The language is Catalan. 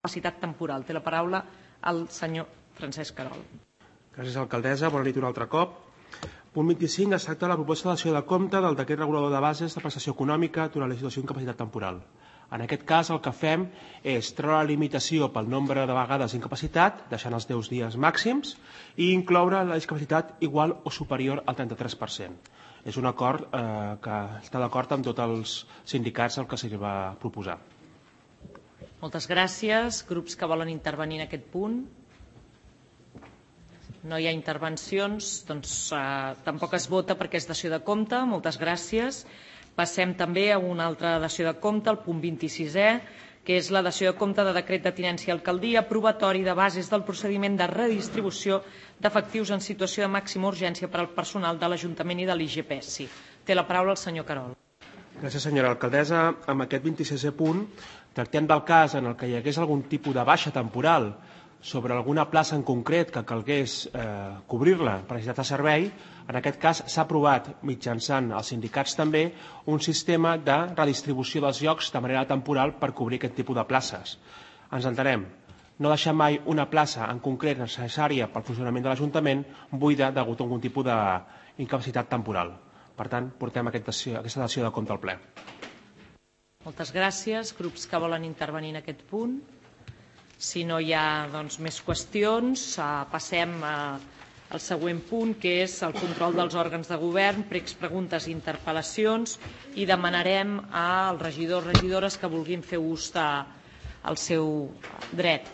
capacitat temporal. Té la paraula el senyor Francesc Querol. Gràcies, alcaldessa. Bona nit un altre cop. Punt 25. Es tracta de la proposta de dació de compte del decret regulador de bases de prestació econòmica durant la situació d'incapacitat temporal. En aquest cas, el que fem és treure la limitació pel nombre de vegades d'incapacitat, deixant els 10 dies màxims, i incloure la discapacitat igual o superior al 33%. És un acord que està d'acord amb tots els sindicats el que s'hi va proposar. Moltes gràcies. Grups que volen intervenir en aquest punt? No hi ha intervencions, doncs tampoc es vota perquè és dació de compte. Moltes gràcies. Passem també a una altra dació de compte, el punt 26è, que és la dació de compte de decret de tinència i alcaldia aprovatori de bases del procediment de redistribució d'efectius en situació de màxima urgència per al personal de l'Ajuntament i de l'IGPSI. Té la paraula el senyor Querol. Gràcies, senyora alcaldessa. Amb aquest 26è punt tractem del cas en el que hi hagués algun tipus de baixa temporal sobre alguna plaça en concret que calgués cobrir-la per necessitat de servei. En aquest cas s'ha aprovat, mitjançant els sindicats també, un sistema de redistribució dels llocs de manera temporal per cobrir aquest tipus de places. Ens entenem, no deixar mai una plaça en concret necessària pel funcionament de l'Ajuntament buida degut a algun tipus d'incapacitat temporal. Per tant, portem aquesta dació de compte al ple. Moltes gràcies. Grups que volen intervenir en aquest punt? Si no hi ha més qüestions, passem al següent punt, que és el control dels òrgans de govern, pregs, preguntes i interpel·lacions, i demanarem als regidors i regidores que vulguin fer ús del seu dret.